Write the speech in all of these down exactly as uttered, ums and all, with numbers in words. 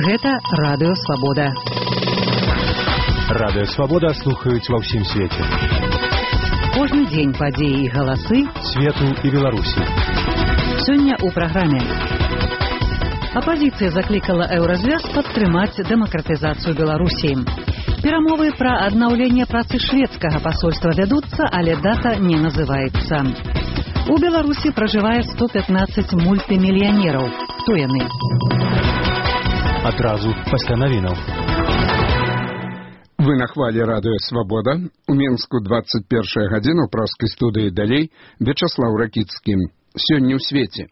Гэта Радыё Свабода. Радыё Свабода слухаюць ва ўсім свеце. Кожны дзень падзеі і галасы свету і Беларусі. Сёння ў праграме. Апазіцыя заклікала Еўразвяз падтрымаць дэмакратызацыю Беларусі. Перамовы пра аднаўленне працы шведскага пасольства вядуцца, але дата не называецца. У Беларусі пражывае сто пятнаццаць мультымільянераў. Хто яны? Адразу пасля навінаў. Вы на хвале Радыё Свабода. У Мінску двадцать першая гадзіна ў праскай студыі далей Вячаслаў Ракіцкі. Сёння ў свеце.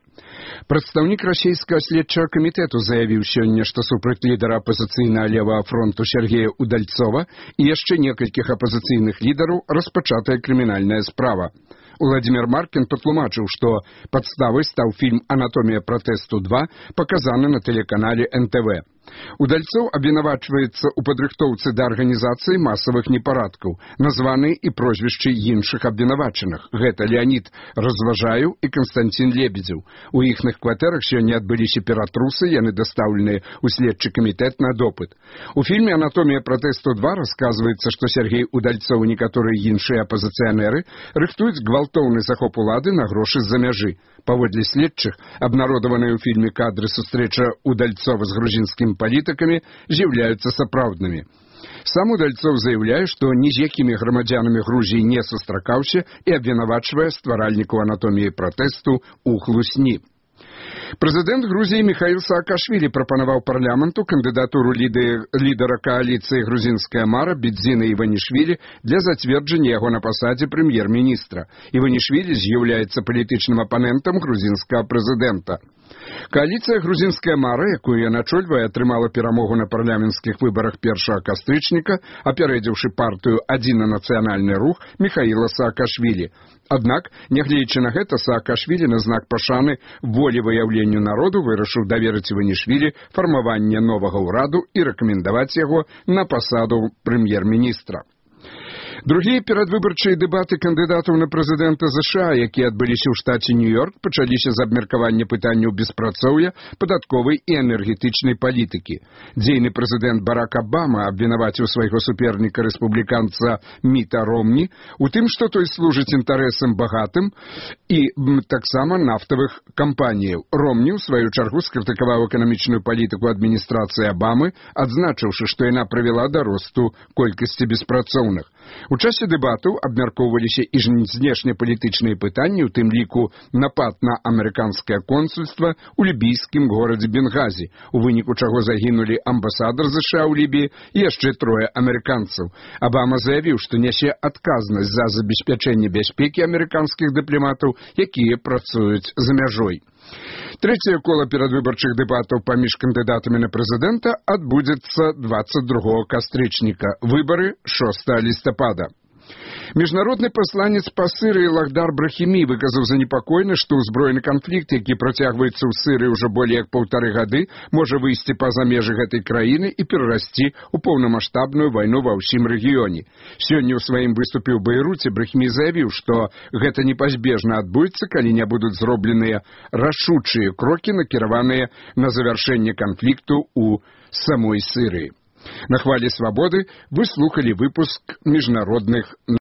Прадстаўнік расійскага следчага камітэту заявіў сёння, што супраць лідара апазіцыйнага левага фронту Сергея Удальцова і яшчэ некалькіх апазіцыйных лідараў распачатая крымінальная справа. Уладзімір Маркін патлумачыў, што падставай стаў фільм «Анатомія пратэсту два», паказаны на тэлеканале эн тэ вэ. Удальцоў абвінавачваецца ў падрыхтоўцы да арганізацыі масавых непарадкаў, названы і прозвішчы іншых абвінавачаных. Гэта Леонід Разважаеў і Канстантин Лебедзеў. У іхных кватэрах сёння адбыліся ператрусы, яны дастаўленыя ў следчы камітэт на допыт. У фільме «Анатомія пратэсту два» расказваецца, што Сергей Удальцоў і некаторыя іншыя апазіцыянеры рыхтуюць гвалтоўны захоп улады на грошы з-за мяжы. Паводле следчых, абнародаваныя ў фільме кадры сустрэча Удальцова з грузінскімі палітыкамі з'яўляюцца сапраўднымі. Сам Удальцоў заяўляе, што ні з якімі грамадзянамі Грузіі не сустракаўся і абвінавачвае стваральнікаў анатоміі пратэсту ў хлусні. Прэзідэнт Грузіі Міхаіл Саакашвілі прапанаваў парламенту кандыдатуру лідара кааліцыі грузінская мара Бедзіна Іванішвілі для зацверджання яго на пасадзе прэм'ер-міністра. Іванішвілі з'яўляецца палітычным апанентам грузінскага прэзідэнта. Кааліцыя грузінская мара, якую я начольваю, атрымала перамогу на парламенцкіх выбарах першага кастрычніка, апярэдзіўшы партыю «Адзіны нацыянальны рух» Міхаіла Саакашвілі. Аднак, нягледзячы на гэта, Саакашвілі на знак пашаны волевыяўленню народу вырашыў даверыць Іванішвілі фармаванне новага ўраду і рэкамендаваць яго на пасаду прэм'ер-міністра. Другія перадвыбарчыя дэбаты кандыдатаў на прэзідэнта ЗША, якія адбыліся ў штаце Нью-Йорк, пачаліся з абмеркавання пытанняў беспрацоўя, падатковай і энергетычнай палітыкі. Дзейны прэзідэнт Барак Абама абвінаваціў свайго суперніка рэспубліканца Міта Ромні у тым, што той служыць інтарэсам багатым і таксама нафтавых кампаніяў. Ромні, у сваю чаргу, скрытыкаваў эканамічную палітыку адміністрацыі Абамы, адзначыўшы, што яна прывяла да росту колькасці беспрацоўных. У часе дэбатаў абмяркоўваліся і знешнепалітычныя пытанні, у тым ліку напад на амерыканскае консульства ў лібійскім горадзе Бенгазі, у выніку чаго загінулі амбасадар ЗША ў Лібіі і яшчэ трое амерыканцаў. Абама заявіў, што нясе адказнасць за забеспячэнне бяспекі амерыканскіх дыпламатаў, якія працуюць за мяжой. Трэцяе кола перадвыбарчых дэбатаў паміж кандыдатамі на прэзідэнта адбудзецца двадцать другога кастрычніка. Выбары шостага лістапада. Міжнародны пасланец па Сырыі Лахдар Брахімі выказаў занепакоенасць, што ўзброены канфлікт, які працягваецца ў Сырыі ўжо болей як паўтары гады, можа выйсці па-за межы гэтай краіны і перарасці ў поўнамаштабную вайну ва ўсім рэгіёне. Сёння ў сваім выступе ў Бейруце Брахімі заявіў, што гэта непазбежна адбудзецца, калі не будуць зробленыя рашучыя крокі, накіраваныя на завяршэнне канфлікту ў самой Сырыі. На хвале Свабоды вы слухали выпуск міжнародных